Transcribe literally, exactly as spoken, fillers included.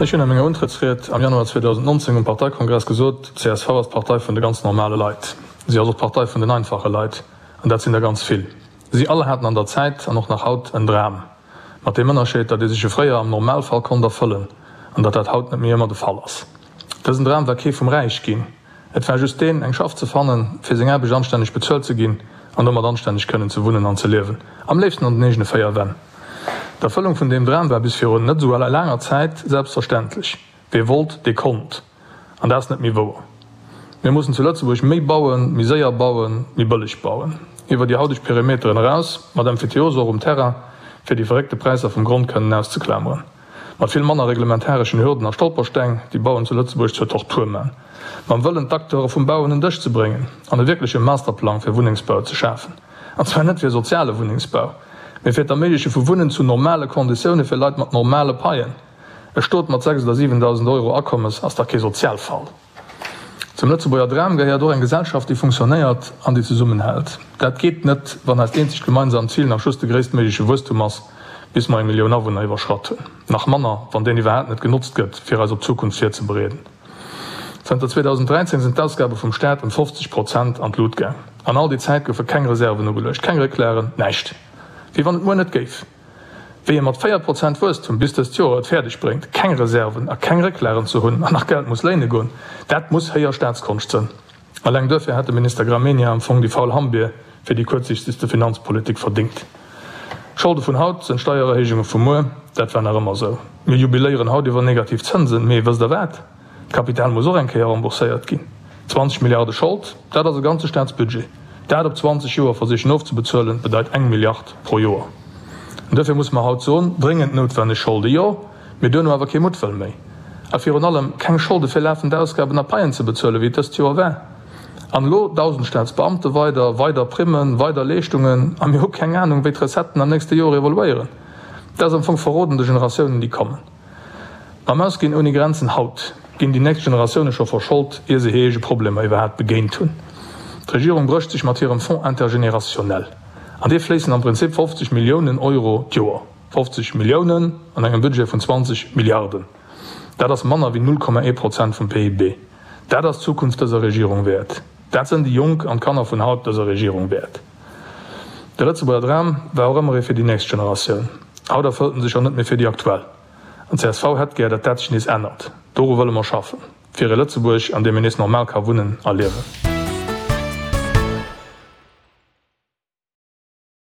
Ech hunn a menger Untrëttsried am Januar zweedausendnonzéng um Parteikongress gesot, D' C S V ass d'Partei vun de ganz normale Leit. Si ass och d'Partei vun den einfache Leit, an dat sinn der ganz vill. Si all haten an der Zäit, an och nach haut, en Dram. Mat deem Ënnerscheed, datt ee sech e fréier am Normalfall konnt erfëllen, an datt dat haut net méi ëmmer de Fall ass. Dësen Dram war kee vum Räichginn. Et war just deen, eng Schaff ze fannen, fir seng Aarbecht anstänneg bezuelt ze ginn an domat anstänneg kënnen ze wunnen an ze liewen, am léifsten an den eegene véier Wänn. D'Erfëllung vun deem Dram war bis virun net esou laanger Zäit selbstverständlech. Wee wollt, dee konnt. An dat ass net méi wouer. Mir mussen zu Lëtzebuerg méi bauen, méi séier bauen, méi bëlleg bauen. Iwwer déi hauteg Perimeteren eraus, mat Emphyteose och um Terrain, fir déi verréckte Präisser vum Grond kënnen auszeklameren. Mat vill manner reglementareschen Hürden a Stolpersteng, déi Bauen zu Lëtzebuerg zur Tortur man. Mam Wëllen, d'Acteure vum Bau un en Dësch ze bréngen an e wierkleche Masterplang fir Wunnengsbau ze schafen. An zwar net fir soziale Wunnengsbau, mee fir d'Erméigleche vu Wunnen zu normale Konditioune fir Leit mat normale Paien. E Stot mat sechs oder siwendausend Euro Akommes ass dach kee Sozialfall. Zum Lëtzebuerger Dram gehéiert och eng Gesellschaft, déi funktionéiert an déi zesummenhält. Dat geet net, wann eist eenzegt gemeinsamt Zil nach just de gréisstméigleche Wuesstum ass, bis mer eng Millioun Awunner iwwerschratt hunn. Nach manner, wann deen iwwerhaapt net genotzt gëtt, fir eis op d'Zukunft virzebereeden. Zënter zweedausendräizéng sinn d'Ausgabe vum Staat ëm fofzeg Prozent an d'Lut gaang. An all déi Zäit goufe keng Reserven ugeluecht, keng Récklagen, näischt. Wéi wann et muer net géif. Wéi ee mat véier Prozent Wuesstum bis dëst Joer et fäerdeg bréngt, keng Reserven a keng Récklagen ze hunn an nach Geld muss léine goen, dat muss héijer Staatskonscht sënn. Alleng duerfir hätt de Minister Gramegna am Fong déi faul Hammbier fir déi kuerzsichtegste Finanzpolitik verdingt. D'Scholde vun haut sënn d'Steiererhéijunge vu muer. Dat war nach ëmmer esou. Mir jubiléieren haut iwwer negativ Zënsen, mee wësst der wat? D'Kapital muss och eng Kéier rembourséiert ginn. Zwanzeg Milliarde Schold, dat ass e ganze Staatsbudget. Dat op zwanzeg Joer versichen ofzebezuelen, bedeit eng Milliard pro Joer. An duerfir musse mer haut soen, Dréngend noutwenneg Scholde jo, mee duerno awer kee Muttwëll méi. A virun allem keng Scholde fir lafend Ausgaben a Paien ze bezuelen, wéi et dëst Joer war. An elo dausend Staatsbeamte weider, weider Primmen, weider Leeschtungen, a mir hu keng Anung, wéi d'Recetten am nächste Joer evoluéieren. Dat ass am Fong Verroden de Generatiounen, déi kommen. Mam Ausginn ouni Grenzen haut ginn déi nächst Generatioune scho verschold, ier se hir eege Problemer iwwerhaapt begéint hunn. D'Regierung brécht sech mat hirem Fonds intergénérationnel. An dee fléissen am Prinzip fofzeg Milliounen Euro d'Joer. Fofzeg Milliounen an engem Budget vun zwanzeg Milliarden. Dat ass manner wéi null Komma ee Prozent vum P I B. Dat ass d'Zukunft dëser Regierung wäert. Dat sënn déi Jonk an d'Kanner vun haut dëser Regierung wäert. De Lëtzebuerger Dram war och ëmmer ee fir déi nächst Generatioun. Haut erfëllt en sech jo net méi fir déi aktuell. An csv hätt gär, datt dat sech nees ännert. Doru wëlle mer schaffen. Fir e Lëtzebuerg, an deem een nees normal ka wunnen a liewen.